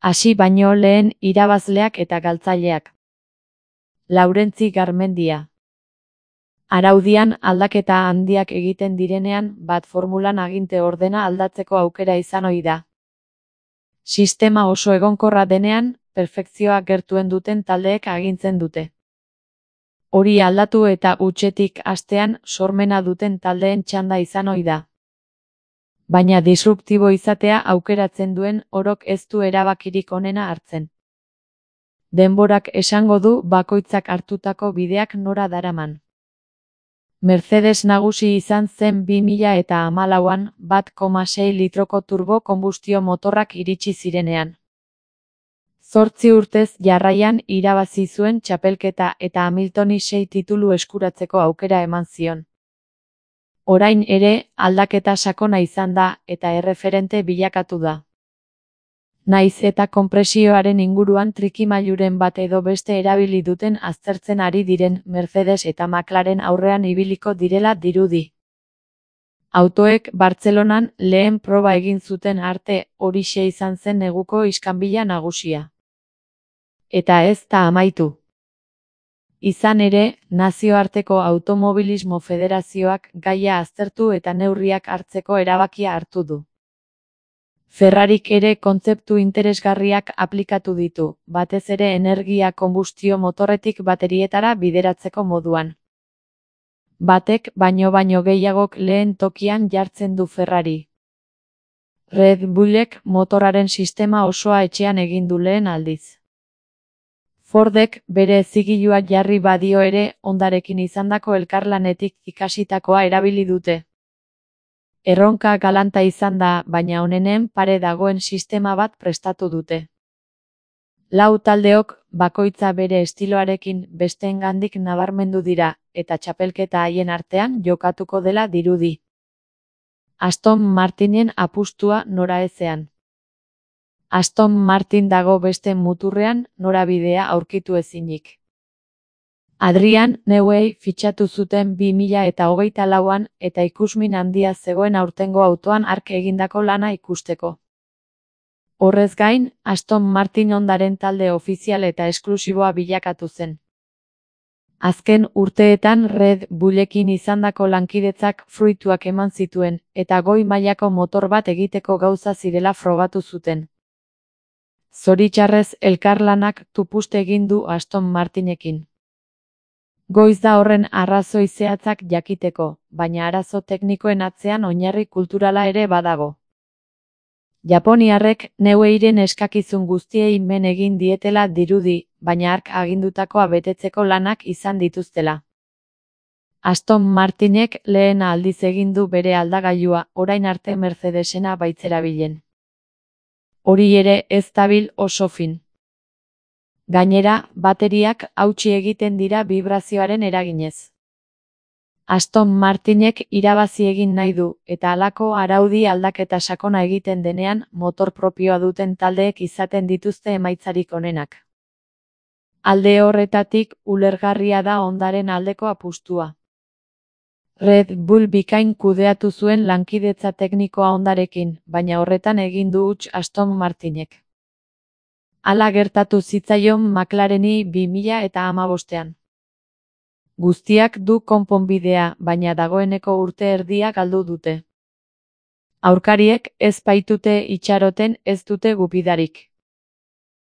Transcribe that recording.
Hasi baino lehen irabazleak eta galtzaileak. Laurentzi Garmendia. Araudian aldaketa handiak egiten direnean, bat formulan aginte ordena aldatzeko aukera izan ohi da. Sistema oso egonkorra denean, perfekzioa gertuen duten taldeek agintzen dute. Hori aldatu eta hutsetik hastean sormena duten taldeen txanda izan ohi da. Baina disruptibo izatea aukeratzen duen orok ez du erabakirik onena hartzen. Denborak esango du bakoitzak hartutako bideak nora daraman. Mercedes nagusi izan zen 2014an 1,6 litroko turbo konbustio motorrak iritsi zirenean. 8 urtez jarraian irabazi zuen txapelketa eta Hamiltoni 6 titulu eskuratzeko aukera eman zion. Orain ere, aldaketa sakona izan da eta erreferente bilakatu da. Naiz eta konpresioaren inguruan trikimailuren bat edo beste erabili duten aztertzen ari diren Mercedes eta McLaren aurrean ibiliko direla dirudi. Autoek Bartzelonan lehen proba egin zuten arte horixe izan zen neguko iskanbila nagusia. Eta ez da amaitu. Izan ere, Nazioarteko Automobilismo Federazioak gaia aztertu eta neurriak hartzeko erabakia hartu du. Ferrarik ere kontzeptu interesgarriak aplikatu ditu, batez ere energia konbustio motorretik baterietara bideratzeko moduan. Batek baino gehiagok lehen tokian jartzen du Ferrari. Red Bullek motoraren sistema osoa etxean egin du lehen aldiz. Fordek bere zigilua jarri badio ere Hondarekin izandako elkarlanetik ikasitakoa erabili dute. Erronka galanta izan da, baina onenen pare dagoen sistema bat prestatu dute. 4 taldeok bakoitza bere estiloarekin besteengandik nabarmendu dira, eta txapelketa haien artean jokatuko dela dirudi. Aston Martinen apustua noraezean. Aston Martin dago beste muturrean norabidea aurkitu ezinik. Adrian Newey fitxatu zuten 2024an eta ikusmin handia zegoen aurtengo autoan hark egindako lana ikusteko. Horrez gain, Aston Martin Hondaren talde ofizial eta esklusiboa bilakatu zen. Azken urteetan Red Bullekin izandako lankidetzak fruituak eman zituen, eta goi mailako motor bat egiteko gauza zirela frogatu zuten. Zoritxarrez elkarlanak tupust egin du Aston Martinekin. Goiz da horren arrazoi zehatzak jakiteko, baina arazo teknikoen atzean oinarri kulturala ere badago. Japoniarrek Neweyren eskakizun guztiei men egin dietela dirudi, baina hark agindutakoa betetzeko lanak izan dituztela. Aston Martinek lehen aldiz egin du bere aldagailua, orain arte Mercedesena baitzerabilen. Hori ere ez dabil oso fin. Gainera, bateriak hautsi egiten dira bibrazioaren eraginez. Aston Martinek irabazi egin nahi du, eta halako araudi aldaketa sakona egiten denean, motor propioa duten taldeek izaten dituzte emaitzarik onenak. Alde horretatik, ulergarria da Hondaren aldeko apustua. Red Bull bikain kudeatu zuen lankidetza teknikoa Hondarekin, baina horretan egin du huts Aston Martinek. Hala gertatu zitzaion McLareni 2015an. Guztiak du konponbidea, baina dagoeneko urte erdia galdu dute. Aurkariek ez baitute itxaroten ez dute gupidarik.